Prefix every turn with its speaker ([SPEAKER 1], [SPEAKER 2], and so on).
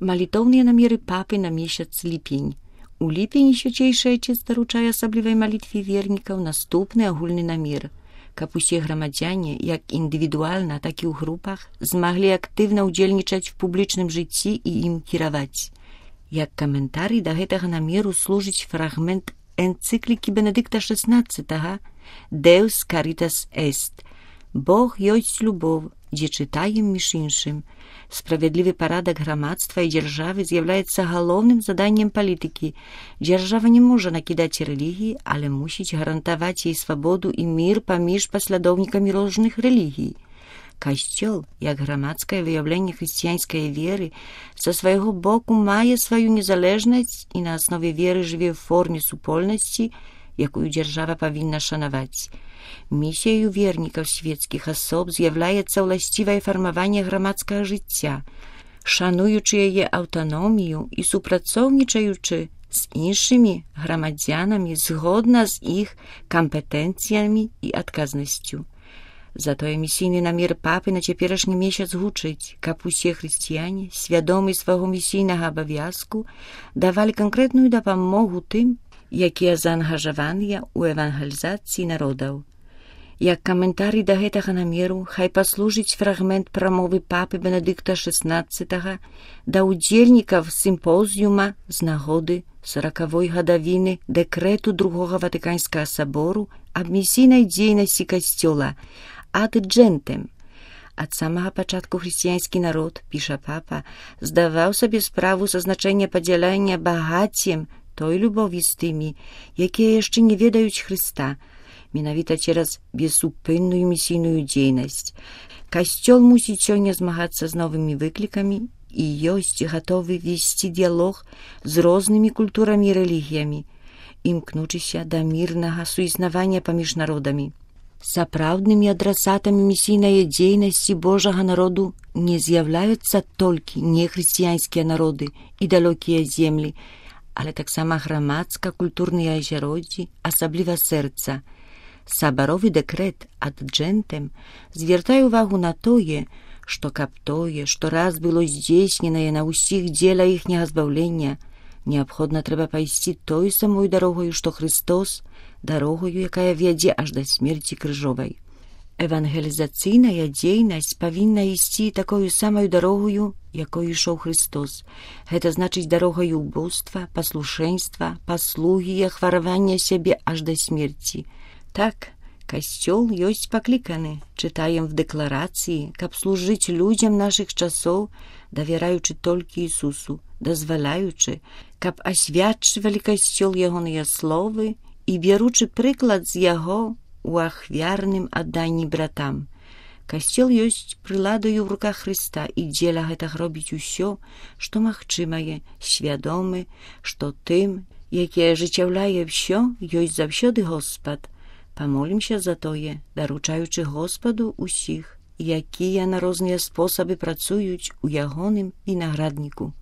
[SPEAKER 1] Малітоўныя намеры папы на месяц ліпень. У ліпені свячэйшы Айцец даручае асаблівай малітве вернікаў наступны агульны намер, каб усе грамадзяне, як індывідуальна, так і ў групах, змаглі актыўна ўдзельнічаць у публічным жыцці і ім кіраваць. Як каментарый да гэтага намеру служыць фрагмент энцыклікі Бенедыкта XVI «Deus caritas est» «Бог ёсць любоў», дзе чытаем між іншым. Справядлівы парадак грамадства і дзяржавы з'яўляецца галоўным заданнем палітыкі. Дзяржава не можа накідаць рэлігіі, але мусіць гарантаваць ей свабоду і мір паміж паслядоўнікамі розных рэлігій. Касцёл, як грамадскае выяўленне хрысціянскай веры, са свайго боку мае сваю незалежнасць і на аснове веры жыве ў форме супольнасці, якую дзяржава павінна шанаваць. Місіяю вернікаў свецкіх асоб з'яўляецца ўласцівае фармаванне грамадскага жыцця, шануючы яе аўтаномію і супрацоўнічаючы з іншымі грамадзянамі згодна з іх кампетэнцыямі і адказнасцю. Затое місійны намер папы на цяперашні месяц гучыць, каб усе хрысціяне, свядомы свайго місійнага абавязку, давалі канкрэтную дапамогу тым, якія заангажаваныя ў евангелізацыі народаў. Як каментарый да гэтага намеру хай паслужыць фрагмент прамовы папы Бенедыкта XVI да ўдзельнікаў сімпозіума з нагоды 40-й гадавіны дэкрэту Другога Ватыканскага сабору аб місійнай дзейнасці касцёла «Ad gentem». Ад самага пачатку хрысціянскі народ, піша папа, здаваў сабе справу са значэння падзялення багаццем той любові з тымі, якія яшчэ не ведаюць Хрыста, менавіта цераз бессупынную місійную дзейнасць. Касцёл мусіць сёння змагацца з новымі выклікамі і ёсць гатовы весці дыялог з рознымі культурамі і рэлігіямі, імкнучыся да мірнага суіснавання паміж народамі. Сапраўднымі адрасатамі місійнай дзейнасці Божага народу не з'яўляюцца толькі нехрысціянскія народы і далёкія землі, але таксама грамадска-культурныя азяроддзі, асабліва сэрца. Сабаровы дэкрэт «Ad gentem» звяртае ўвагу на тое, што каб тое, што раз было здзейсненае на ўсіх дзеля іхняга збаўлення, неабходна трэба пайсці той самой дарогаю, што Христос, дарогаю, якая вядзе аж да смерці крыжовай. Евангелізацыйная дзейнасць павінна ісці такою самаю дарогою, якой ішоў Христос. Гэта значыць дарогаю убоства, паслушэнства, паслугі і ахваравання сябе аж да смерці. Так, касцёл ёсць пакліканы, чытаем в дэкларацыі, каб служыць людзям нашых часоў, давяраючы толькі Ісусу, дазваляючы, каб асвячвалі касцёл ягоныя словы і бяручы прыклад з яго у ахвярным адданні братам. Касцёл ёсць прыладаю ў руках Хрыста і дзеля гэтага робіць усё, што магчымае, свядомы, што тым, які ажыццяўляе ўсё, ёсць заўсёды Господ. Памолімся за тое, даручаючы Господу усіх, якія на розныя спосабы працуюць у ягоным вінаградніку.